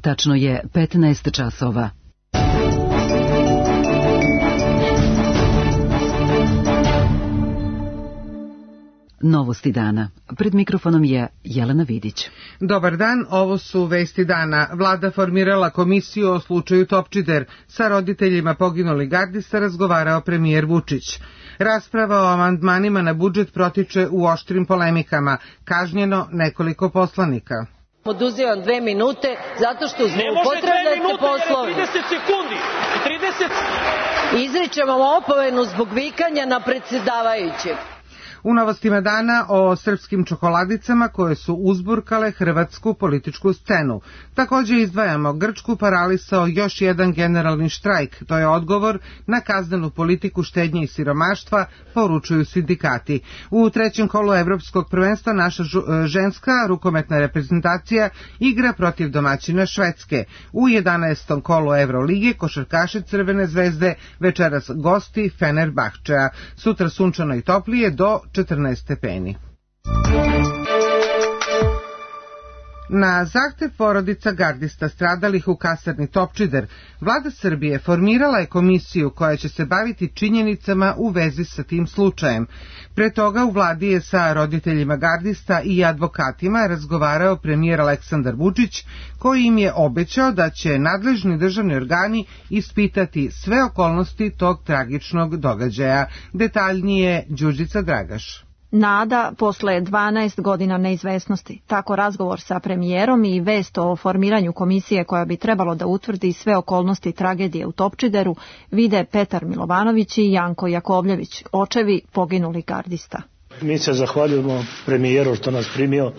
Tačno je 15 časova. Novosti dana. Pred mikrofonom je Jelena Vidić. Dobar dan, ovo su vesti dana. Vlada formirala komisiju o slučaju Topčider. Sa roditeljima poginulih gardista razgovarao premijer Vučić. Rasprava o amandmanima na budžet protiče u oštrim polemikama. Kažnjeno nekoliko poslanika. Oduzivam 2 minute zato što zloupotrebljate Poslovnik. 30 sekundi. 30. Izričem vam opomenu zbog vikanja na predsjedavajućeg. U novostima dana o srpskim čokoladicama koje su uzburkale hrvatsku političku scenu. Također izdvajamo Grčku paralisao još jedan generalni štrajk. To je odgovor na kaznenu politiku štednje i siromaštva, poručuju sindikati. U trećem kolu Evropskog prvenstva naša ženska rukometna reprezentacija igra protiv domaćina Švedske. U 11. kolu Evrolige košarkaši Crvene zvezde večeras gosti Fenerbahčea. Sutra sunčano i toplije do 14 stepeni. Na zahtev porodica gardista stradalih u kasarni Topčider, Vlada Srbije formirala je komisiju koja će se baviti činjenicama u vezi sa tim slučajem. Pre toga u vladi je sa roditeljima gardista i advokatima razgovarao premijer Aleksandar Vučić, koji im je obećao da će nadležni državni organi ispitati sve okolnosti tog tragičnog događaja. Detaljnije Đurđica Dragaš. Nada posle 12 godina neizvesnosti. Tako razgovor sa premijerom i vest o formiranju komisije koja bi trebalo da utvrdi sve okolnosti tragedije u Topčideru vide Petar Milovanović i Janko Jakovljević, očevi poginulih gardista. Mi se zahvaljujemo premijeru što nas primio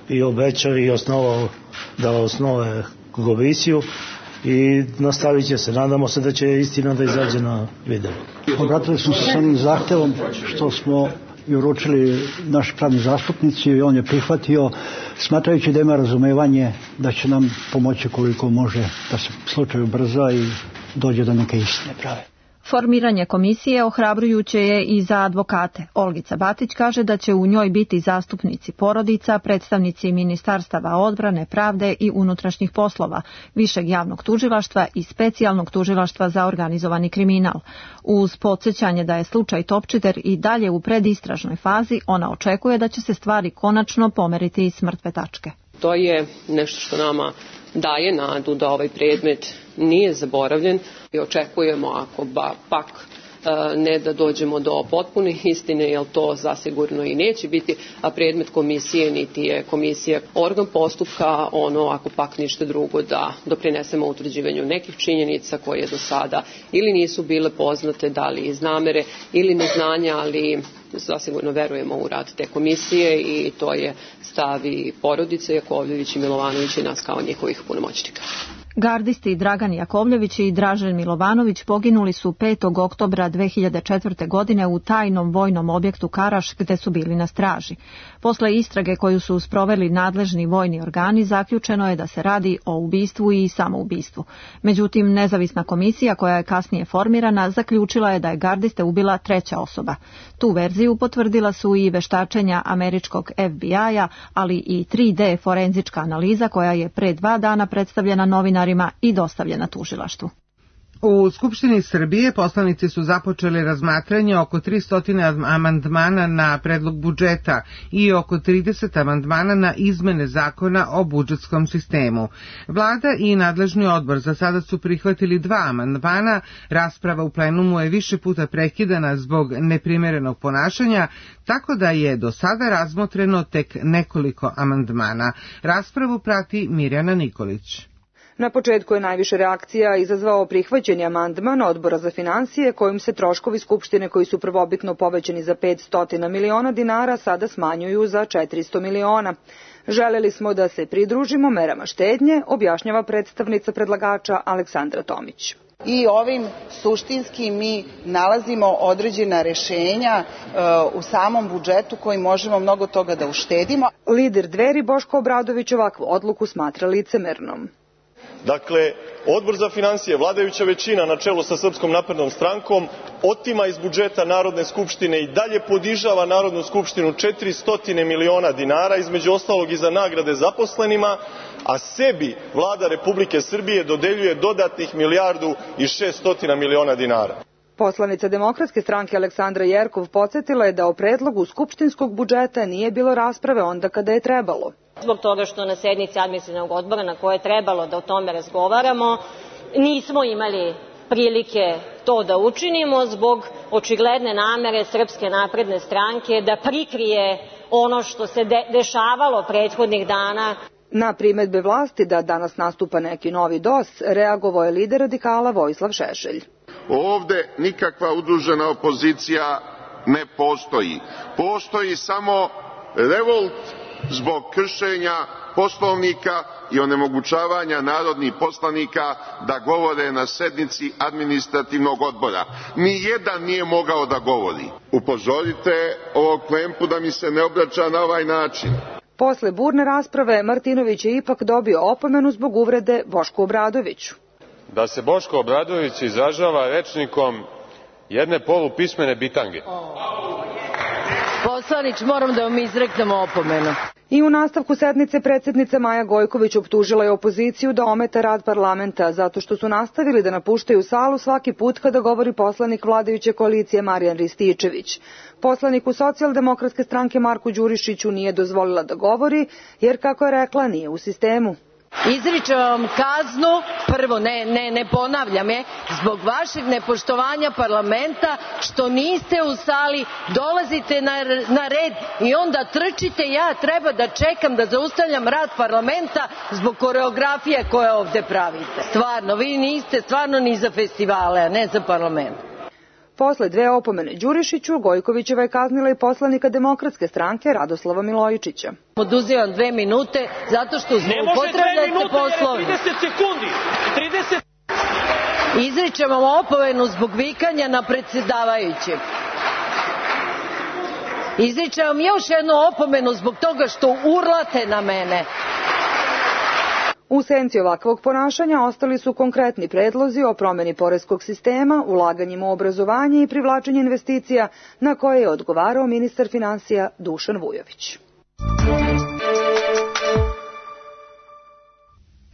i obećao i osnovao da osnove komisiju i nastavit će se. Nadamo se da će istina da izađe na video. Obratili smo se s onim zahtevom što smo i uručili naši pravni zastupnici i on je prihvatio, smatrajući da ima razumevanje da će nam pomoći koliko može da se slučaj ubrza i dođe do neke istine prave. Formiranje komisije ohrabrujuće je i za advokate. Olgica Batić kaže da će u njoj biti zastupnici porodica, predstavnici ministarstava odbrane, pravde i unutrašnjih poslova, višeg javnog tužilaštva i specijalnog tužilaštva za organizovani kriminal. Uz podsjećanje da je slučaj Topčider i dalje u predistražnoj fazi, ona očekuje da će se stvari konačno pomeriti iz mrtve tačke. To je nešto što nama daje nadu da ovaj predmet nije zaboravljen i očekujemo ako pak ne da dođemo do potpune istine, jer to zasigurno i neće biti predmet komisije, niti je komisija organ postupka, ako pak ništa drugo da doprinesemo utvrđivanju nekih činjenica koje do sada ili nisu bile poznate, da li iz namere ili neznanja, ali zasigurno verujemo u rad te komisije i to je stav i porodice Jakovljević i Milovanović i nas kao njihovih punomoćnika. Gardisti Dragan Jakovljević i Dražen Milovanović poginuli su 5. oktobra 2004. godine u tajnom vojnom objektu Karaš gde su bili na straži. Posle istrage koju su sproveli nadležni vojni organi zaključeno je da se radi o ubistvu i samoubistvu. Međutim, nezavisna komisija koja je kasnije formirana zaključila je da je gardiste ubila treća osoba. Tu verziju potvrdila su i veštačenja američkog FBI-a, ali i 3D forenzička analiza koja je pre 2 dana predstavljena novinarima i dostavljena tužilaštvu. U Skupštini Srbije poslanici su započeli razmatranje oko 300 amandmana na predlog budžeta i oko 30 amandmana na izmene zakona o budžetskom sistemu. Vlada i nadležni odbor za sada su prihvatili 2 amandmana. Rasprava u plenumu je više puta prekidana zbog neprimerenog ponašanja, tako da je do sada razmotreno tek nekoliko amandmana. Raspravu prati Mirjana Nikolić. Na početku je najviše reakcija izazvao prihvaćeni amandman Odbora za finansije kojim se troškovi Skupštine koji su prvobitno povećani za 500 miliona dinara sada smanjuju za 400 miliona. Želeli smo da se pridružimo merama štednje, objašnjava predstavnica predlagača Aleksandra Tomić. I ovim suštinski mi nalazimo određena rešenja u samom budžetu koji možemo mnogo toga da uštedimo. Lider Dveri Boško Obradović ovakvu odluku smatra licemernom. Dakle, Odbor za finansije, vladajuća većina na čelu sa Srpskom naprednom strankom otima iz budžeta Narodne skupštine i dalje podižava Narodnu skupštinu 400 miliona dinara, između ostalog i za nagrade zaposlenima, a sebi Vlada Republike Srbije dodeljuje dodatnih 1.600 miliona dinara. Poslanica Demokratske stranke Aleksandra Jerkov podsjetila je da o predlogu skupštinskog budžeta nije bilo rasprave onda kada je trebalo. Zbog toga što na sednici administrativnog odbora na koje je trebalo da o tome razgovaramo, nismo imali prilike to da učinimo zbog očigledne namere Srpske napredne stranke da prikrije ono što se dešavalo prethodnih dana. Na primedbe vlasti da danas nastupa neki novi DOS, reagovao je lider radikala Vojislav Šešelj. Ovde nikakva udružena opozicija ne postoji. Postoji samo revolt zbog kršenja Poslovnika i onemogućavanja narodnih poslanika da govore na sednici administrativnog odbora. Nijedan nije mogao da govori. Upozorite ovog Klempu da mi se ne obraća na ovaj način. Posle burne rasprave, Martinović je ipak dobio opomenu zbog uvrede Bošku Obradoviću. Da se Boško Obradović izražava rečnikom jedne polupismene bitange. Poslanić, moram da vam izreknem opomenu. I u nastavku sednice predsjednica Maja Gojković optužila je opoziciju da ometa rad parlamenta zato što su nastavili da napuštaju salu svaki put kada govori poslanik vladajuće koalicije Marijan Rističević. Poslaniku Socijaldemokratske stranke Marku Đurišiću nije dozvolila da govori jer, kako je rekla, nije u sistemu. Izričem vam kaznu, prvo ne ponavljam je, zbog vašeg nepoštovanja parlamenta što niste u sali, dolazite na red i onda trčite, ja treba da čekam da zaustavljam rad parlamenta zbog koreografije koje ovde pravite. Stvarno, vi niste stvarno ni za festivale, a ne za parlament. Posle 2 opomene Đurišiću, Gojkovićeva je kaznila i poslanika Demokratske stranke Radoslava Milojičića. Oduzimam 2 minute zato što zloupotrebljate Poslovnik. Ne može 2 minute, 30 sekundi. 30... Izričem vam opomenu zbog vikanja na predsjedavajućeg. Izričem vam još jednu opomenu zbog toga što urlate na mene. U senci ovakvog ponašanja ostali su konkretni predlozi o promeni poreskog sistema, ulaganjima u obrazovanje i privlačenje investicija na koje je odgovarao ministar finansija Dušan Vujović.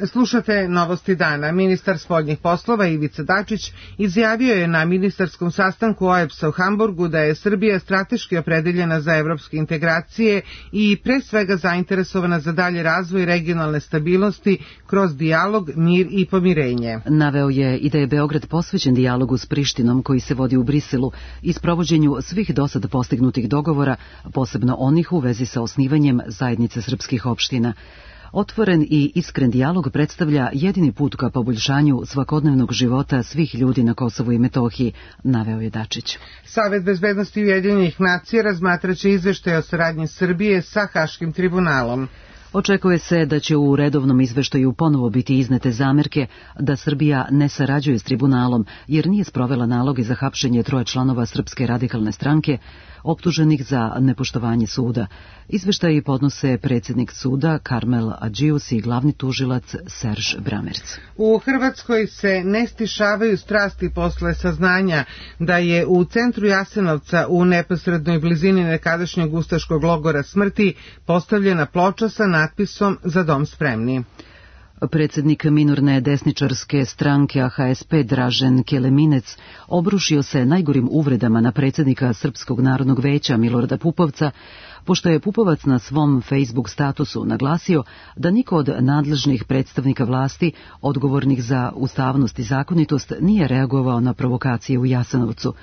Slušate Novosti dana. Ministar spoljnih poslova Ivica Dačić izjavio je na ministarskom sastanku OEBS-a u Hamburgu da je Srbija strateški opredeljena za evropske integracije i pre svega zainteresovana za dalje razvoj regionalne stabilnosti kroz dijalog, mir i pomirenje. Naveo je i da je Beograd posvećen dijalogu s Prištinom koji se vodi u Briselu i sprovođenju svih dosad postignutih dogovora, posebno onih u vezi sa osnivanjem zajednice srpskih opština. Otvoren i iskren dijalog predstavlja jedini put ka poboljšanju svakodnevnog života svih ljudi na Kosovu i Metohiji, naveo je Dačić. Savet bezbednosti Ujedinjenih nacija razmatraće izveštaj o saradnji Srbije sa Haškim tribunalom. Očekuje se da će u redovnom izveštaju ponovo biti iznete zamerke da Srbija ne sarađuje s tribunalom jer nije sprovela naloge za hapšenje 3 članova Srpske radikalne stranke optuženih za nepoštovanje suda. Izveštaji podnose predsjednik suda Karmel Adžius i glavni tužilac Serž Bramerc. U Hrvatskoj se ne stišavaju strasti posle saznanja da je u centru Jasenovca u neposrednoj blizini nekadašnjeg ustaškog logora smrti postavljena ploča sa natpisom Za dom spremni. Predsjednik minorne desničarske stranke AHSP Dražen Keleminec obrušio se najgorim uvredama na predsjednika Srpskog narodnog veća Milorada Pupovca, pošto je Pupovac na svom Facebook statusu naglasio da niko od nadležnih predstavnika vlasti odgovornih za ustavnost i zakonitost nije reagovao na provokacije u Jasenovcu.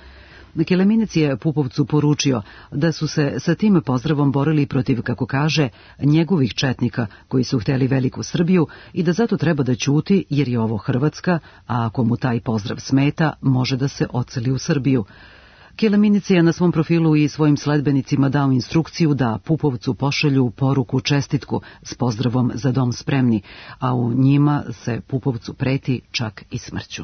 Keleminec je Pupovcu poručio da su se sa tim pozdravom borili protiv, kako kaže, njegovih četnika koji su hteli veliku Srbiju i da zato treba da ćuti jer je ovo Hrvatska, a ako mu taj pozdrav smeta, može da se odseli u Srbiju. Keleminec je na svom profilu i svojim sledbenicima dao instrukciju da Pupovcu pošalju poruku čestitku s pozdravom Za dom spremni, a u njima se Pupovcu preti čak i smrću.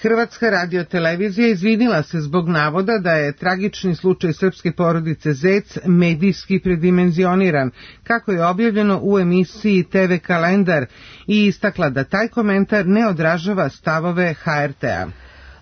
Hrvatska radiotelevizija izvinila se zbog navoda da je tragični slučaj srpske porodice Zec medijski predimenzioniran, kako je objavljeno u emisiji TV Kalendar, i istakla da taj komentar ne odražava stavove HRT-a.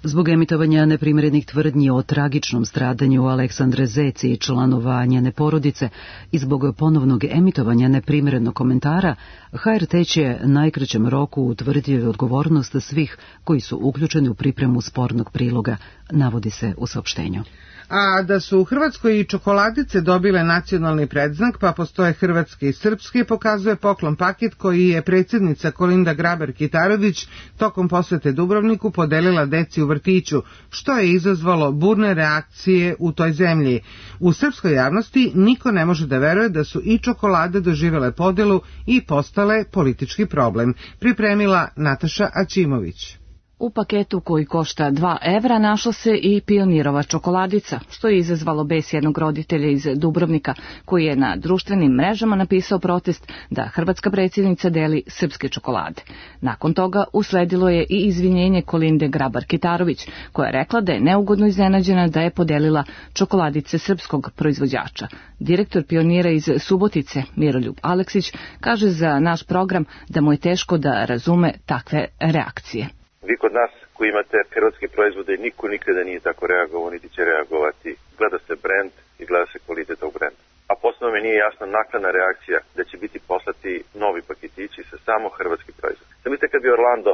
Zbog emitovanja neprimjerenih tvrdnji o tragičnom stradanju Aleksandre Zec i članova njene porodice i zbog ponovnog emitovanja neprimjerenog komentara, HRT će najkraćem roku utvrditi odgovornost svih koji su uključeni u pripremu spornog priloga, navodi se u saopštenju. A da su u Hrvatskoj i čokoladice dobile nacionalni predznak, pa postoje hrvatski i srpski, pokazuje poklon paket koji je predsjednica Kolinda Grabar-Kitarović tokom posete Dubrovniku podelila deci u vrtiću, što je izazvalo burne reakcije u toj zemlji. U srpskoj javnosti niko ne može da veruje da su i čokolade doživjele podelu i postale politički problem. Pripremila Nataša Aćimović. U paketu koji košta 2 evra našla se i Pionirova čokoladica, što je izazvalo bes jednog roditelja iz Dubrovnika, koji je na društvenim mrežama napisao protest da hrvatska predsjednica deli srpske čokolade. Nakon toga usledilo je i izvinjenje Kolinde Grabar-Kitarović, koja je rekla da je neugodno iznenađena da je podelila čokoladice srpskog proizvođača. Direktor Pionira iz Subotice, Miroljub Aleksić, kaže za naš program da mu je teško da razume takve reakcije. Vi kod nas koji imate hrvatske proizvode, niko nikada nije tako reagovao, niti će reagovati. Gleda se brend i gleda se kvalitet tog brenda. A posebno mi nije jasna naknadna reakcija da će biti poslati novi paketići sa samo hrvatski proizvod. Zamislite kad bi Orlando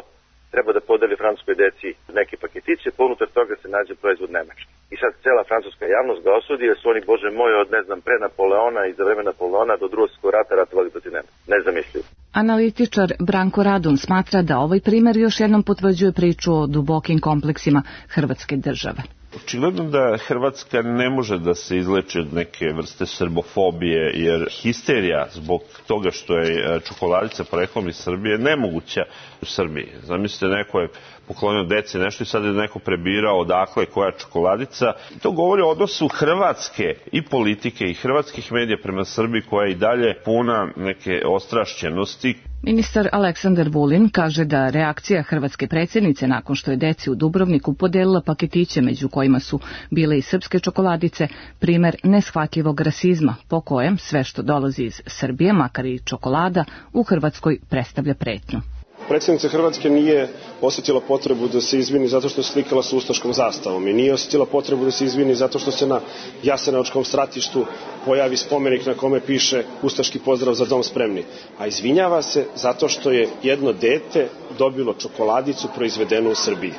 treba da podeli francuskoj deci neke paketiće, pa unutar toga se nađe proizvod nemački. I sad cela francuska javnost ga osudi, jer su oni, bože moj, od pre Napoleona i za vreme Napoleona do Drugog svjetskog rata ratovali protiv Nemaca. Nezamislivo. Analitičar Branko Radun smatra da ovaj primer još jednom potvrđuje priču o dubokim kompleksima hrvatske države. Očigledno da Hrvatska ne može da se izleči od neke vrste srbofobije, jer histerija zbog toga što je čokoladica poreklom iz Srbije nemoguća u Srbiji. Zamislite, neko je poklonio deci nešto i sad je neko prebirao odakle koja je čokoladica. To govori o odnosu Hrvatske i politike i hrvatskih medija prema Srbiji, koja je i dalje puna neke ostrašćenosti. Ministar Aleksandar Vulin kaže da reakcija hrvatske predsjednice nakon što je deci u Dubrovniku podelila paketiće među kojima su bile i srpske čokoladice primer neshvatljivog rasizma po kojem sve što dolazi iz Srbije, makar i čokolada, u Hrvatskoj predstavlja pretnju. Predsjednica Hrvatske nije osjetila potrebu da se izvini zato što je slikala sa ustaškom zastavom i nije osjetila potrebu da se izvini zato što se na Jasenovačkom stratištu pojavi spomenik na kome piše ustaški pozdrav za dom spremni. A izvinjava se zato što je jedno dete dobilo čokoladicu proizvedenu u Srbiji.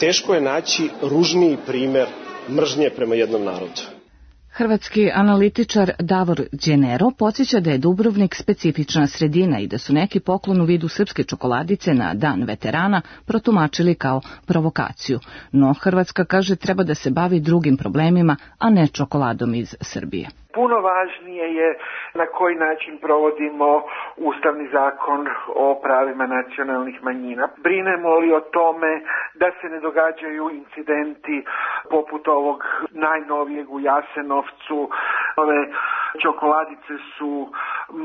Teško je naći ružniji primer mržnje prema jednom narodu. Hrvatski analitičar Davor Đenero podsjeća da je Dubrovnik specifična sredina i da su neki poklon u vidu srpske čokoladice na Dan veterana protumačili kao provokaciju. No Hrvatska, kaže, treba da se bavi drugim problemima, a ne čokoladom iz Srbije. Puno važnije je na koji način provodimo Ustavni zakon o pravima nacionalnih manjina. Brinemo li o tome da se ne događaju incidenti poput ovog najnovijeg u Jasenovcu. Ove čokoladice su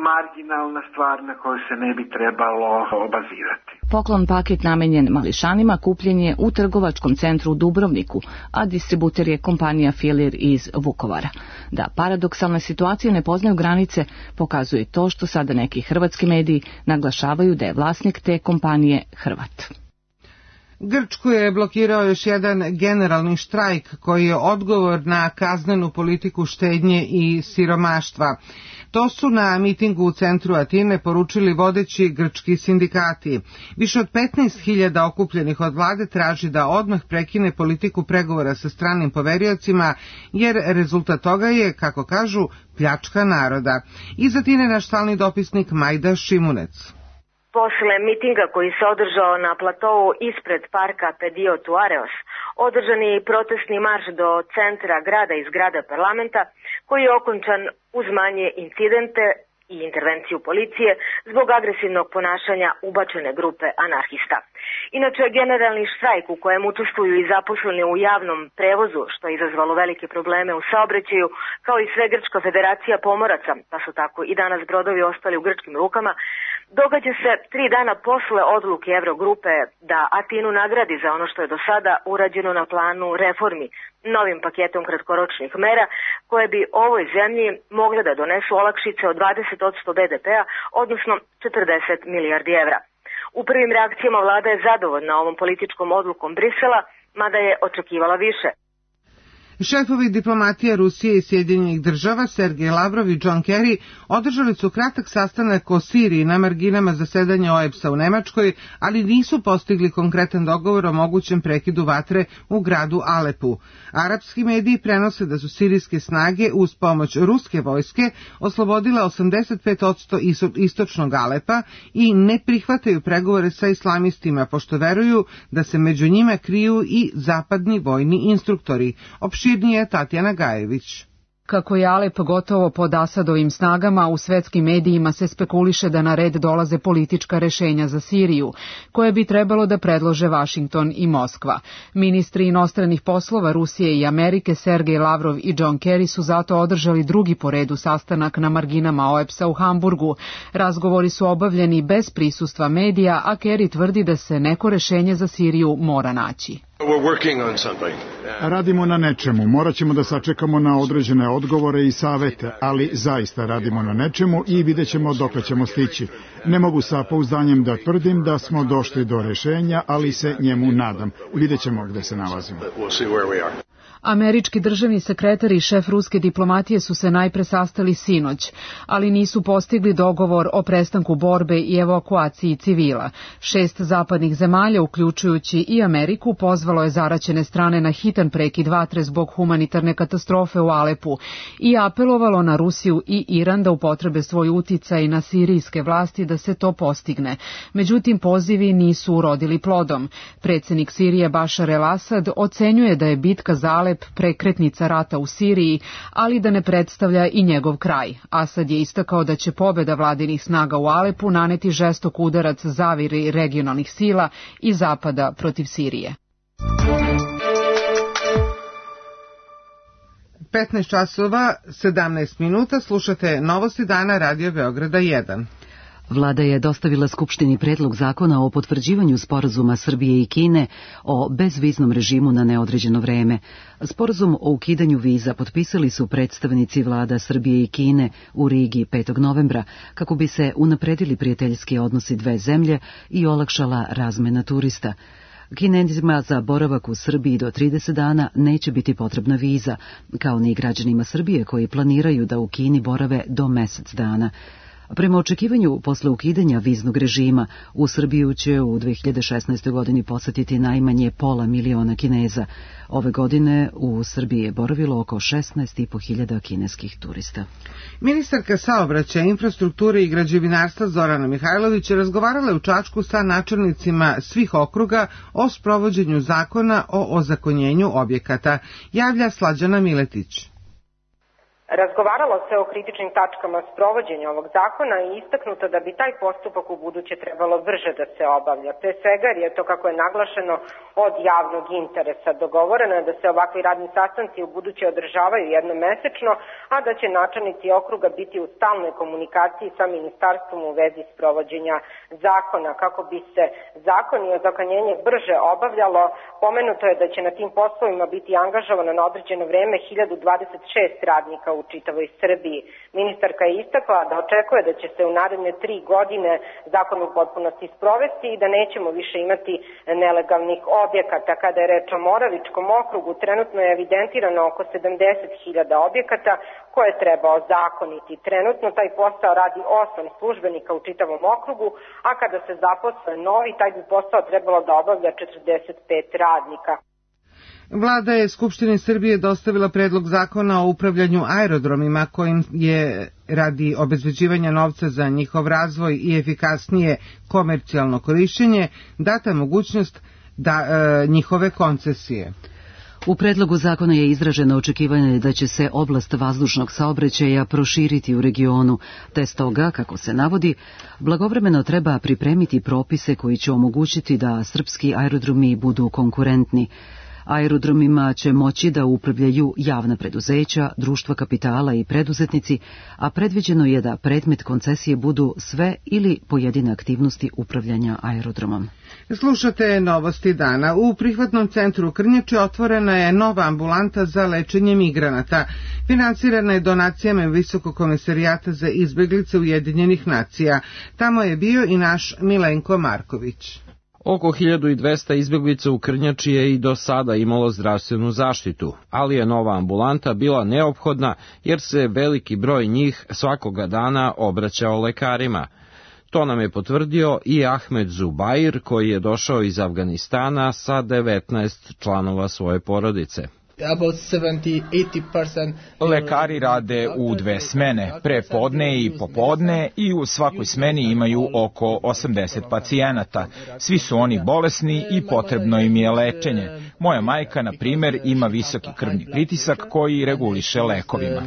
marginalna stvar na koju se ne bi trebalo obazirati. Poklon paket namenjen mališanima kupljen je u trgovačkom centru u Dubrovniku, a distributer je kompanija Filir iz Vukovara. Da paradoksalne situacije ne poznaju granice pokazuje to što sada neki hrvatski mediji naglašavaju da je vlasnik te kompanije Hrvat. Grčku je blokirao još jedan generalni štrajk koji je odgovor na kaznenu politiku štednje i siromaštva. To su na mitingu u centru Atine poručili vodeći grčki sindikati. Više od 15.000 okupljenih od vlade traži da odmah prekine politiku pregovora sa stranim poveriocima, jer rezultat toga je, kako kažu, pljačka naroda. Iz Atine naš stalni dopisnik Majda Šimunec. Posle mitinga koji se održao na platovu ispred parka Pedio Tuareos, održan je i protestni marš do centra grada i zgrada parlamenta, koji je okončan uz manje incidente i intervenciju policije zbog agresivnog ponašanja ubačene grupe anarhista. Inače, generalni štrajk u kojem učestvuju i zaposleni u javnom prevozu, što je izazvalo velike probleme u saobraćaju, kao i sve Grčka federacija pomoraca, pa su tako i danas brodovi ostali u grčkim rukama, događa se 3 dana posle odluke Eurogrupe da Atinu nagradi za ono što je do sada urađeno na planu reformi novim paketom kratkoročnih mera koje bi ovoj zemlji mogle da donesu olakšice od 20% BDP-a, odnosno 40 milijardi evra. U prvim reakcijama vlada je zadovoljna ovom političkom odlukom Brisela, mada je očekivala više. Šefovi diplomatije Rusije i Sjedinjenih država Sergej Lavrov i John Kerry održali su kratak sastanak o Siriji na marginama zasedanja OEBS-a u Nemačkoj, ali nisu postigli konkretan dogovor o mogućem prekidu vatre u gradu Alepu. Arapski mediji prenose da su sirijske snage uz pomoć ruske vojske oslobodile 85% istočnog Alepa i ne prihvataju pregovore sa islamistima, pošto veruju da se među njima kriju i zapadni vojni instruktori. Opširnije Tatjana Gajević. Kako je Alep gotovo pod Asadovim snagama, u svetskim medijima se spekuliše da na red dolaze politička rešenja za Siriju, koje bi trebalo da predlože Vašington i Moskva. Ministri inostranih poslova Rusije i Amerike Sergej Lavrov i John Kerry su zato održali drugi po redu sastanak na marginama OEBS-a u Hamburgu. Razgovori su obavljeni bez prisustva medija, a Kerry tvrdi da se neko rešenje za Siriju mora naći. Radimo na nečemu, morat ćemo da sačekamo na određene odgovore i savete, ali zaista radimo na nečemu i vidjet ćemo dokle ćemo stići. Ne mogu sa pouzdanjem da tvrdim da smo došli do rešenja, ali se njemu nadam. Vidjet ćemo gde se nalazimo. Američki državni sekretar i šef ruske diplomatije su se najpre sastali sinoć, ali nisu postigli dogovor o prestanku borbe i evakuaciji civila. 6 zapadnih zemalja, uključujući i Ameriku, pozvalo je zaraćene strane na hitan prekid vatre zbog humanitarne katastrofe u Alepu i apelovalo na Rusiju i Iran da upotrebe svoj uticaj na sirijske vlasti da se to postigne. Međutim, pozivi nisu urodili plodom. Predsjednik Sirije Bašar el-Asad ocenjuje da je bitka za Alep prekretnica rata u Siriji, ali da ne predstavlja i njegov kraj. Asad je istakao da će pobjeda vladinih snaga u Alepu naneti žestok udarac zaviri regionalnih sila i zapada protiv Sirije. 15 časova, 17 minuta, slušate Novosti dana Radio Beograda 1. Vlada je dostavila Skupštini predlog zakona o potvrđivanju sporazuma Srbije i Kine o bezviznom režimu na neodređeno vreme. Sporazum o ukidanju viza potpisali su predstavnici vlada Srbije i Kine u Rigi 5. novembra kako bi se unapredili prijateljski odnosi dve zemlje i olakšala razmena turista. Kinezima za boravak u Srbiji do 30 dana neće biti potrebna viza, kao ni građanima Srbije koji planiraju da u Kini borave do mesec dana. Prema očekivanju, posle ukidanja viznog režima, u Srbiju će u 2016. godini posetiti najmanje 500.000 Kineza. Ove godine u Srbiji je boravilo oko 16.500 kineskih turista. Ministarka saobraćaja, infrastrukture i građevinarstva Zorana Mihajlović razgovarala je u Čačku sa načelnicima svih okruga o sprovođenju zakona o ozakonjenju objekata, javlja Slađana Miletić. Razgovaralo se o kritičnim tačkama sprovođenja ovog zakona i istaknuto da bi taj postupak u buduće trebalo brže da se obavlja. Pre svega jer je to, kako je naglašeno, od javnog interesa. Dogovoreno je da se ovakvi radni sastanci u buduće održavaju jednom mesečno, a da će načelnici okruga biti u stalnoj komunikaciji sa ministarstvom u vezi sprovođenja zakona. Kako bi se zakon i ozakonjenje brže obavljalo, pomenuto je da će na tim poslovima biti angažovano na određeno vreme 1026 radnika u čitavoj Srbiji. Ministarka je istakla da očekuje da će se u naredne 3 godine zakon u potpunosti sprovesti i da nećemo više imati nelegalnih objekata. Kada je reč o Moravičkom okrugu, trenutno je evidentirano oko 70.000 objekata koje treba ozakoniti. Trenutno taj posao radi 8 službenika u čitavom okrugu, a kada se zaposle novi, taj bi posao trebalo da obavlja 45 radnika. Vlada je Skupštini Srbije dostavila predlog zakona o upravljanju aerodromima kojim je radi obezbeđivanja novca za njihov razvoj i efikasnije komercijalno korišćenje data mogućnost njihove koncesije. U predlogu zakona je izraženo očekivanje da će se oblast vazdušnog saobraćaja proširiti u regionu, te stoga, kako se navodi, blagovremeno treba pripremiti propise koji će omogućiti da srpski aerodromi budu konkurentni. Aerodromima će moći da upravljaju javna preduzeća, društva kapitala i preduzetnici, a predviđeno je da predmet koncesije budu sve ili pojedine aktivnosti upravljanja aerodromom. Slušate Novosti dana. U prihvatnom centru Krnjače otvorena je nova ambulanta za lečenje migranata. Finansirana je donacijama Visokog komesarijata za izbeglice Ujedinjenih nacija. Tamo je bio i naš Milenko Marković. Oko 1200 izbjeglica u Krnjači je i do sada imalo zdravstvenu zaštitu, ali je nova ambulanta bila neophodna jer se veliki broj njih svakoga dana obraćao lekarima. To nam je potvrdio i Ahmed Zubair, koji je došao iz Afganistana sa 19 članova svoje porodice. Lekari rade u 2 smene, prepodne i popodne, i u svakoj smeni imaju oko 80 pacijenata. Svi su oni bolesni i potrebno im je lečenje. Moja majka, na primer, ima visoki krvni pritisak koji reguliše lekovima.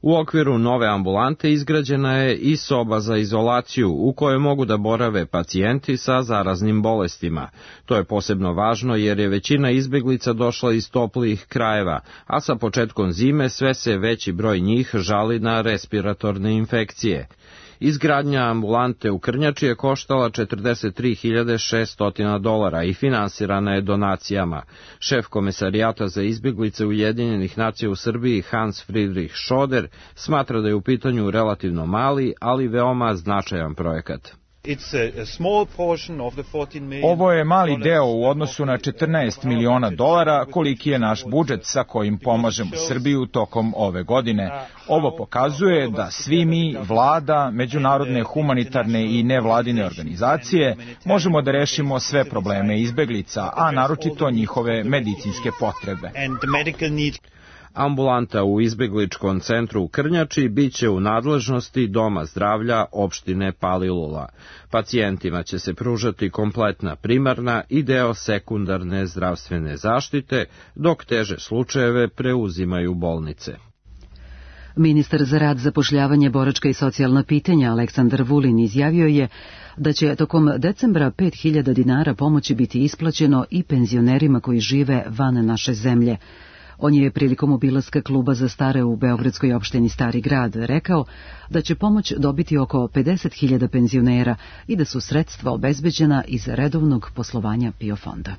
U okviru nove ambulante izgrađena je i soba za izolaciju u kojoj mogu da borave pacijenti sa zaraznim bolestima. To je posebno važno jer je većina izbjeglica došla iz toplijih krajeva, a sa početkom zime sve se veći broj njih žali na respiratorne infekcije. Izgradnja ambulante u Krnjači je koštala $43.600 i finansirana je donacijama. Šef komesarijata za izbjeglice Ujedinjenih nacija u Srbiji Hans Friedrich Schoder smatra da je u pitanju relativno mali, ali veoma značajan projekat. Ovo je mali deo u odnosu na $14 miliona koliki je naš budžet sa kojim pomažemo Srbiju tokom ove godine. Ovo pokazuje da svi mi, vlada, međunarodne humanitarne i nevladine organizacije, možemo da rešimo sve probleme izbeglica, a naročito njihove medicinske potrebe. Ambulanta u izbjegličkom centru u Krnjači biće u nadležnosti Doma zdravlja opštine Palilula. Pacijentima će se pružati kompletna primarna i deo sekundarne zdravstvene zaštite, dok teže slučajeve preuzimaju bolnice. Ministar za rad, zapošljavanje, boračka i socijalna pitanja Aleksandar Vulin izjavio je da će tokom decembra 5.000 dinara pomoći biti isplaćeno i penzionerima koji žive van naše zemlje. On je prilikom obilaska kluba za stare u beogradskoj opštini Stari grad rekao da će pomoć dobiti oko 50.000 penzionera i da su sredstva obezbeđena iz redovnog poslovanja PIO fonda.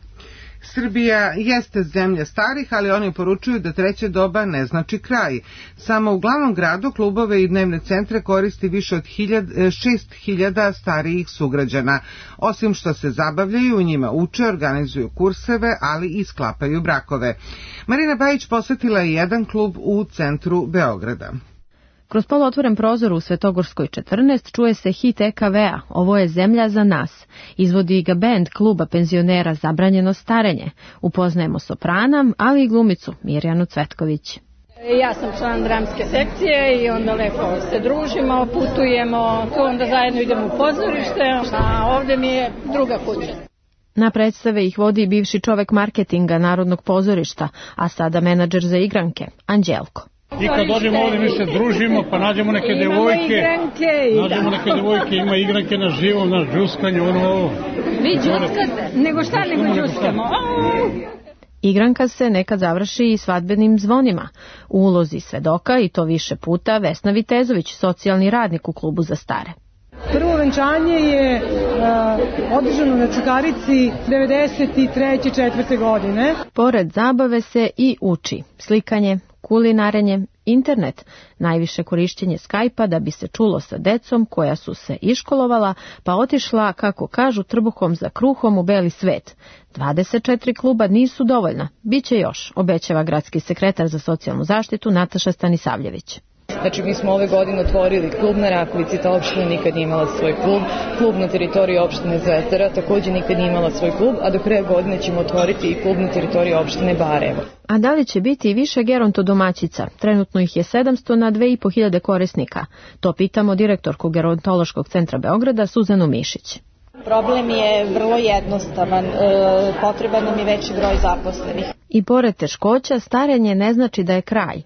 Srbija jeste zemlja starih, ali oni poručuju da treće doba ne znači kraj. Samo u glavnom gradu klubove i dnevne centre koristi više od 6.000 starijih sugrađana. Osim što se zabavljaju, u njima uče, organizuju kurseve, ali i sklapaju brakove. Marina Bajić posetila je jedan klub u centru Beograda. Kroz poluotvoren prozor u Svetogorskoj 14 čuje se hit EKV-a Ovo je zemlja za nas. Izvodi ga bend kluba penzionera Zabranjeno starenje. Upoznajemo soprana, ali i glumicu Mirjanu Cvetković. Ja sam član dramske sekcije i onda lepo se družimo, putujemo, onda zajedno idemo u pozorište, a ovdje mi je druga kuća. Na predstave ih vodi bivši čovek marketinga Narodnog pozorišta, a sada menadžer za igranke, Anđelko. I kad dođemo ovdje mi se družimo, pa nađemo neke devojke, ima igranke na živom, na džuskanju, ono. Vi džuskate? Nego šta nego džuskamo? Igranka se nekad završi i svadbenim zvonima. U ulozi svedoka, i to više puta, Vesna Vitezović, socijalni radnik u klubu za stare. Prvo venčanje je održano na Čukarici 93-4. godine. Pored zabave se i uči slikanje, kulinarenje, internet, najviše korišćenje Skype-a da bi se čulo sa decom koja su se iškolovala, pa otišla, kako kažu, trbuhom za kruhom u beli svet. 24 kluba nisu dovoljna, biće još, obećava gradski sekretar za socijalnu zaštitu Nataša Stanisavljević. Znači, mi smo ove godine otvorili klub na Rakovici, ta opština nikad nije imala svoj klub, klub na teritoriji opštine Zvezdara također nikad nije imala svoj klub, a do kraja godine ćemo otvoriti i klub na teritoriji opštine Barajevo. A da li će biti i više gerontodomaćica? Trenutno ih je 700 na 2.500 korisnika. To pitamo direktorku Gerontološkog centra Beograda Suzanu Mišić. Problem je vrlo jednostavan, potreban nam je veći broj zaposlenih. I pored teškoća, starenje ne znači da je kraj.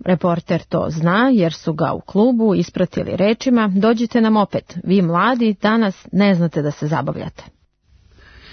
Reporter to zna jer su ga u klubu ispratili rečima: dođite nam opet, vi mladi danas ne znate da se zabavljate.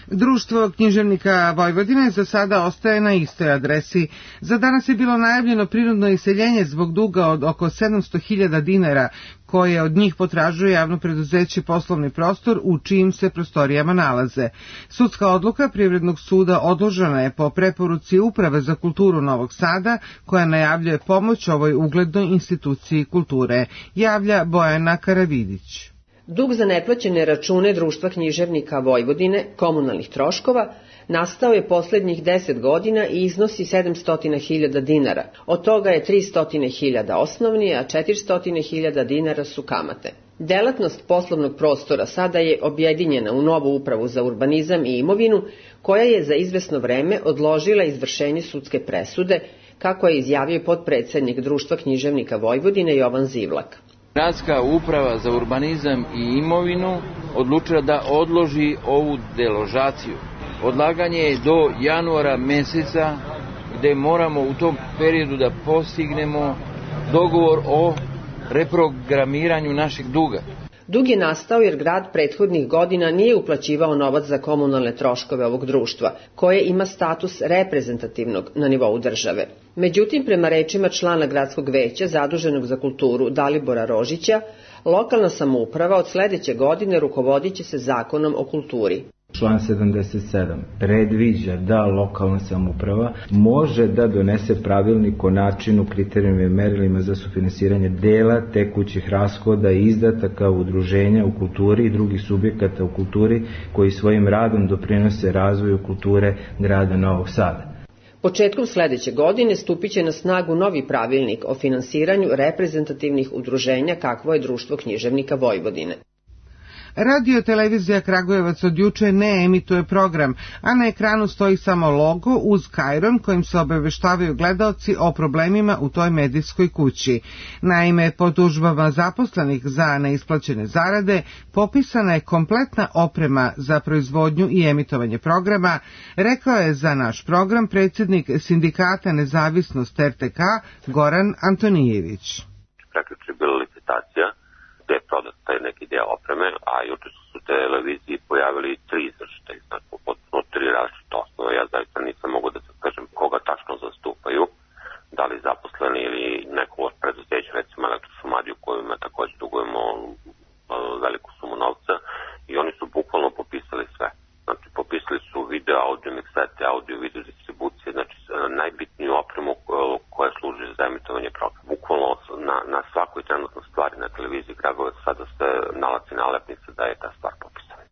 Društvo književnika Vojvodine za sada ostaje na istoj adresi. Za danas je bilo najavljeno prinudno iseljenje zbog duga od oko 700.000 dinara, koje od njih potražuje javno preduzeće Poslovni prostor u čijim se prostorijama nalaze. Sudska odluka Privrednog suda odložena je po preporuci Uprave za kulturu Novog Sada, koja najavljuje pomoć ovoj uglednoj instituciji kulture, javlja Bojana Karavidić. Dug za neplaćene račune Društva književnika Vojvodine, komunalnih troškova, nastao je poslednjih 10 godina i iznosi 700.000 dinara. Od toga je 300.000 osnovni, a 400.000 dinara su kamate. Delatnost poslovnog prostora sada je objedinjena u novu upravu za urbanizam i imovinu, koja je za izvesno vreme odložila izvršenje sudske presude, kako je izjavio potpredsednik Društva književnika Vojvodine Jovan Zivlak. Gradska uprava za urbanizam i imovinu odlučila da odloži ovu deložaciju. Odlaganje je do januara meseca, gde moramo u tom periodu da postignemo dogovor o reprogramiranju našeg duga. Dug je nastao jer grad prethodnih godina nije uplaćivao novac za komunalne troškove ovog društva, koje ima status reprezentativnog na nivou države. Međutim, prema rečima člana gradskog veća zaduženog za kulturu Dalibora Rožića, lokalna samouprava od sledeće godine rukovodit će se Zakonom o kulturi. Član 77 predviđa da lokalna samouprava može da donese pravilnik o načinu, kriterijima i merilima za sufinansiranje dela tekućih rashoda i izdataka udruženja u kulturi i drugih subjekata u kulturi koji svojim radom doprinose razvoju kulture grada Novog Sada. Početkom sledeće godine stupit će na snagu novi pravilnik o finansiranju reprezentativnih udruženja kakvo je Društvo književnika Vojvodine. Radio televizija Kragujevac od juče ne emituje program, a na ekranu stoji samo logo uz kajron kojim se obaveštavaju gledaoci o problemima u toj medijskoj kući. Naime, po tužbama zaposlenih za neisplaćene zarade popisana je kompletna oprema za proizvodnju i emitovanje programa, rekao je za naš program predsjednik Sindikata Nezavisnost RTK Goran Antonijević. Prekjuče je bila licitacija gde je prodat taj neki deo opreme, a juče su se televiziji pojavili 3 izvršitelji, znači potpuno 3 različite osnove. Ja zaista nisam mogu da se kažem koga tačno zastupaju, da li zaposleni ili neko od preduzeća, recimo Elektrošumadiju kojima takođe dugujemo veliku sumu novca, i oni su bukvalno popisali sve. Znači popisali su video, audio miksete, audio, video distribucije, znači najbitniju opremu koja služi za emitovanje programa. Bukvalno na svakoj trenutnoj stvari na televiziji Kragujevac sada se nalazi nalepnica da je ta stvar popisana.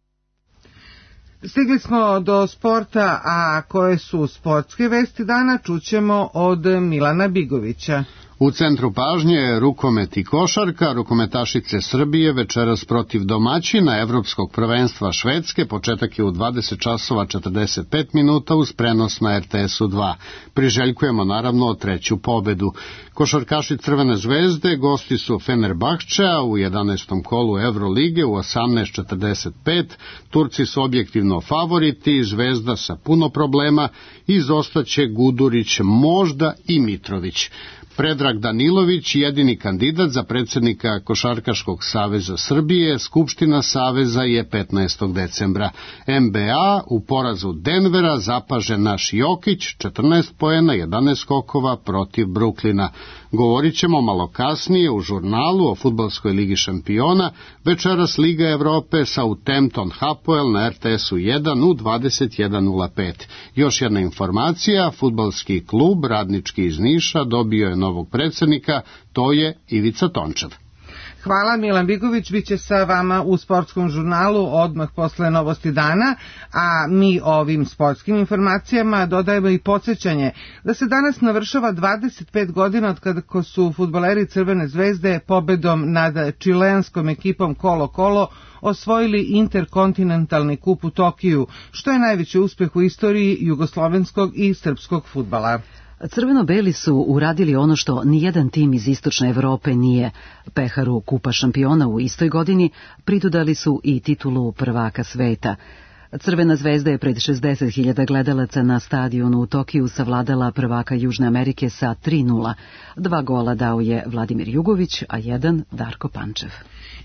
Stigli smo do sporta, a koje su sportske vesti dana čućemo od Milana Bigovića. U centru pažnje je rukomet i košarka. Rukometašice Srbije večeras protiv domaćina Evropskog prvenstva Švedske. Početak je u 20:45 uz prenos na RTS-u 2. Priželjkujemo naravno treću pobedu. Košarkaši Crvene zvezde gosti su Fenerbahčea u 11. kolu Evrolige u 18:45. Turci su objektivno favoriti, Zvezda sa puno problema, izostaće Gudurić, možda i Mitrović. Predrag Danilović, jedini kandidat za predsjednika Košarkaškog saveza Srbije, Skupština saveza je 15. decembra. NBA u porazu Denvera zapaže naš Jokić, 14 poena, 11 skokova protiv Bruklina. Govorit ćemo malo kasnije u žurnalu o fudbalskoj ligi šampiona, večeras Liga Evrope Southampton Hapoel na RTS-u 1 u 21:05. Još jedna informacija, fudbalski klub Radnički iz Niša dobio je novog predsjednika, to je Ivica Tončev. Hvala, Milan Bigović biće sa vama u sportskom žurnalu odmah posle novosti dana, a mi ovim sportskim informacijama dodajemo i podsjećanje da se danas navršava 25 godina od kada su fudbaleri Crvene zvezde pobedom nad čileanskom ekipom Colo-Colo osvojili interkontinentalni kup u Tokiju, što je najveći uspeh u istoriji jugoslovenskog i srpskog fudbala. Crveno-beli su uradili ono što nijedan tim iz istočne Evrope nije. Peharu kupa šampiona u istoj godini pridodali su i titulu prvaka sveta. Crvena zvezda je pred 60.000 gledalaca na stadionu u Tokiju savladala prvaka Južne Amerike sa 3:0. 2 gola dao je Vladimir Jugović, a 1 Darko Pančev.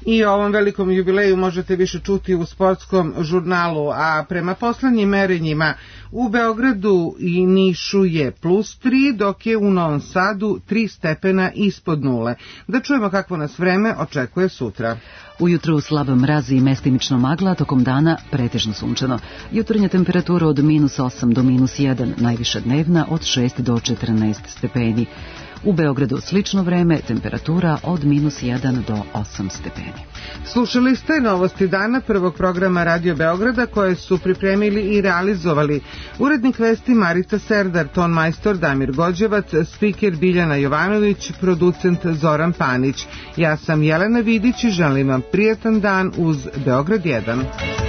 I o ovom velikom jubileju možete više čuti u sportskom žurnalu, a prema poslednjim merenjima u Beogradu i Nišu je +3, dok je u Novom Sadu 3 stepena ispod nule. Da čujemo kakvo nas vreme očekuje sutra. Ujutru slab mraz i mestimično magla, tokom dana pretežno sunčano. Jutarnja temperatura od -8 do -1, najviša dnevna od 6 do 14 stepeni. U Beogradu slično vreme, temperatura od -1 do 8 stepeni. Slušali ste novosti dana prvog programa Radio Beograda koje su pripremili i realizovali urednik vesti Marita Serdar, ton majstor Damir Gođevac, spiker Biljana Jovanović, producent Zoran Panić. Ja sam Jelena Vidić i želim vam prijatan dan uz Beograd 1.